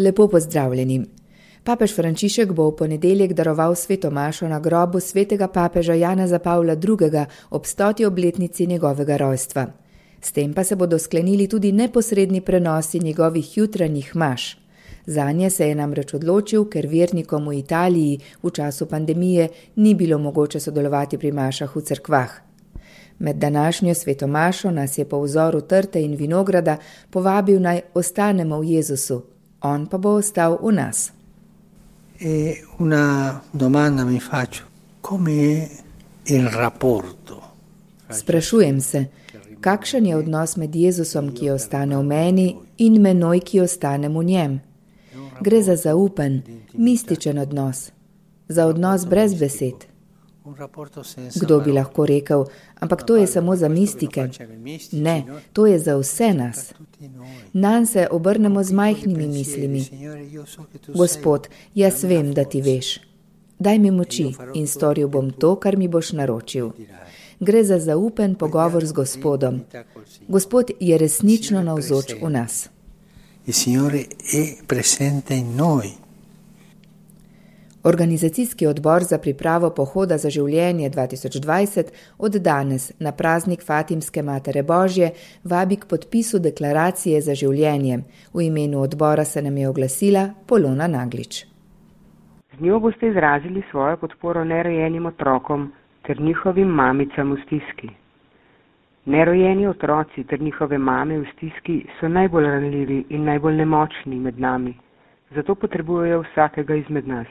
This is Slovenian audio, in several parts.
Lepo pozdravljeni. Papež Frančišek bo v ponedeljek daroval sveto mašo na grobu svetega papeža Janeza Pavla II. Ob 100. obletnici njegovega rojstva. S tem pa se bodo sklenili tudi neposredni prenosi njegovih jutranjih maš. Zanje se je namreč odločil, ker vernikom v Italiji v času pandemije ni bilo mogoče sodelovati pri mašah v cerkvah. Med današnjo sveto mašo nas je po vzoru trte in vinograda povabil naj ostanemo v Jezusu, on pa bo ostal v nas. Una domanda mi faccio, come è il rapporto? Sprašujem se, kakšen je odnos med Jezusom, ki ostane v meni, in menoj, ki ostanem v njem? Gre za zaupen, mističen odnos, za odnos brez besed. Kdo bi lahko rekel, ampak to je samo za mistike? Ne, to je za vse nas. Nanj se obrnemo z majhnimi mislimi. Gospod, jaz vem, da ti veš. Daj mi moči in storil bom to, kar mi boš naročil. Gre za zaupen pogovor z Gospodom. Gospod je resnično navzoč v nas. Il Signore è presente in noi. Organizacijski odbor za pripravo pohoda za življenje 2020 od danes na praznik Fatimske Matere Božje vabi k podpisu deklaracije za življenje. V imenu odbora se nam je oglasila Polona Naglič. Z njo boste izrazili svojo podporo nerojenim otrokom ter njihovim mamicam v stiski. Nerojeni otroci ter njihove mame v stiski so najbolj ranljivi in najbolj nemočni med nami, zato potrebujejo vsakega izmed nas.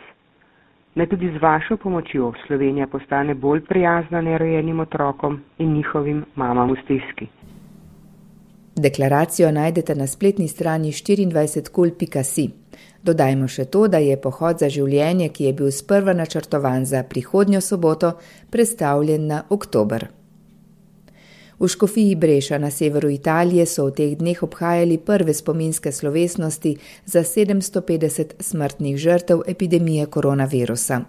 Naj tudi z vašo pomočjo Slovenija postane bolj prijazna nerojenim otrokom in njihovim mamam v stiski. Deklaracijo najdete na spletni strani 24kul.si. Dodajmo še to, da je pohod za življenje, ki je bil sprva načrtovan za prihodnjo soboto, prestavljen na oktober. V Škofiji Breša na severu Italije so v teh dneh obhajali prve spominske slovesnosti za 750 smrtnih žrtev epidemije koronavirusa.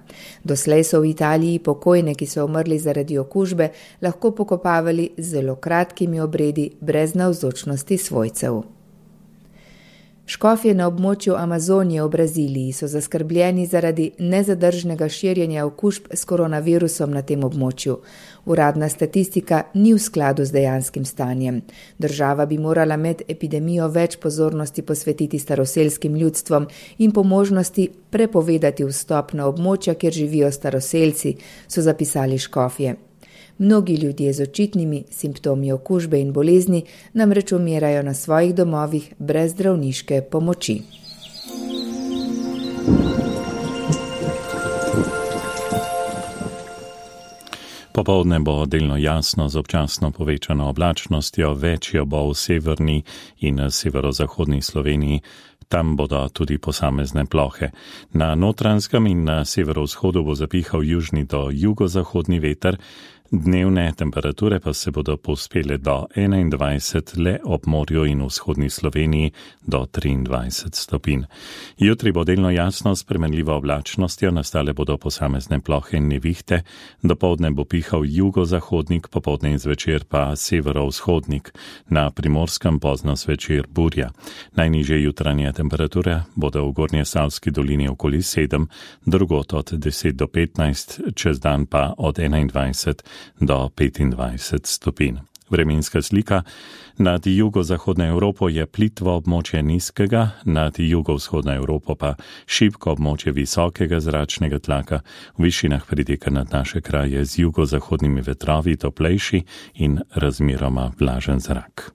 Doslej so v Italiji pokojne, ki so umrli zaradi okužbe, lahko pokopavali z zelo kratkimi obredi brez navzočnosti svojcev. Škofje na območju Amazonije v Braziliji so zaskrbljeni zaradi nezadržnega širjenja okužb s koronavirusom na tem območju. Uradna statistika ni v skladu z dejanskim stanjem. Država bi morala med epidemijo več pozornosti posvetiti staroselskim ljudstvom in po možnosti prepovedati vstop na območja, kjer živijo staroselci, so zapisali škofje. Mnogi ljudje z očitnimi simptomi okužbe in bolezni namreč umirajo na svojih domovih brez zdravniške pomoči. Popoldne bo delno jasno z občasno povečano oblačnostjo, večjo bo v severni in severozahodni Sloveniji. Tam bodo tudi posamezne plohe. Na Notranjskem in na severovzhodu bo zapihal južni do jugozahodni veter, dnevne temperature pa se bodo povzpele do 21, le ob morju in vzhodni Sloveniji do 23 stopinj. Jutri bo delno jasno s spremenljivo oblačnostjo, nastale bodo posamezne plohe in nevihte, dopoldne bo pihal jugozahodnik, popoldne in zvečer pa severovzhodnik, na Primorskem pozno zvečer burja. Najnižje jutranje temperature bodo v Gornjesavski dolini okoli 7, drugod od 10 do 15, čez dan pa od 21 do 25 stopinj. Vremenska slika. Nad jugozahodno Evropo je plitvo območje nizkega, nad jugovzhodno Evropo pa šibko območje visokega zračnega tlaka. V višinah priteka nad naše kraje z jugozahodnimi vetrovi toplejši in razmeroma vlažen zrak.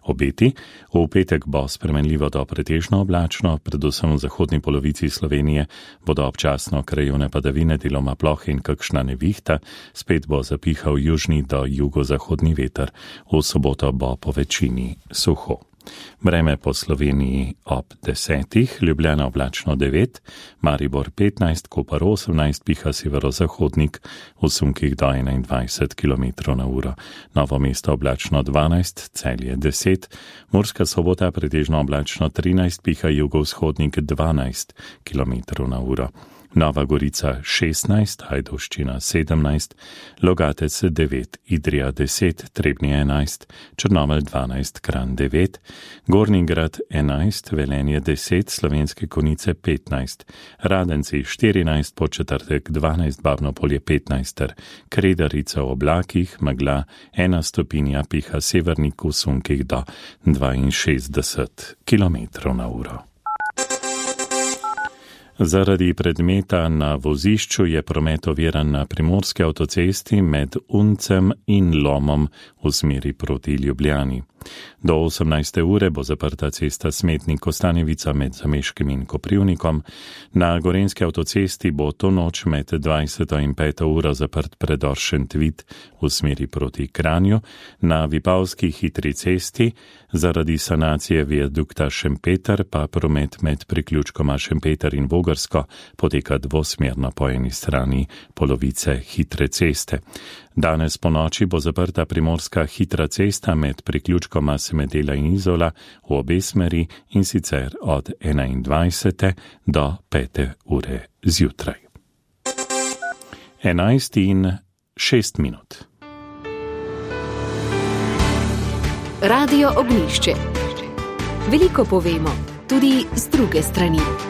Obeti. V petek bo spremenljivo do pretežno oblačno, predvsem v zahodni polovici Slovenije bodo občasno krajevne padavine, deloma plohe in kakšna nevihta, spet bo zapihal južni do jugozahodni veter. V soboto bo po večini suho. Vreme po Sloveniji ob 10, Ljubljana oblačno 9, Maribor 15, Koper 18, piha severozahodnik, v sunkih do 21 km/h. Novo mesto oblačno 12, Celje 10, Murska Sobota pretežno oblačno 13, piha jugovzhodnik 12 km/h. Nova Gorica 16, Ajdovščina 17, Logatec 9, Idrija 10, Trebnje 11, Črnomelj 12, Kranj 9, Gornji Grad 11, Velenje 10, Slovenske Konjice 15, Radenci 14, Podčetrtek 12, Babno Polje 15, Kredarica v oblakih, megla 1 stopinja, piha severnik v sunkih do 62 km/h. Zaradi predmeta na vozišču je promet oviran na primorski avtocesti med Uncem in Lomom v smeri proti Ljubljani. Do 18. ure bo zaprta cesta Smetnik-Kostanjevica med Zameškim in Koprivnikom. Na gorenjski avtocesti bo to noč med 20. in 5. uro zaprt predor Šentvid v smeri proti Kranju. Na Vipavski hitri cesti zaradi sanacije viadukta Šempeter pa promet med priključkoma Šempeter in Vogrsko poteka dvosmerno po eni strani polovice hitre ceste. Danes po noči bo zaprta primorska hitra cesta med priključkoma Semedela in Izola v obe smeri, in sicer od 21. do 5. ure zjutraj. 11:06. Radio Ognjišče. Veliko povemo, tudi z druge strani.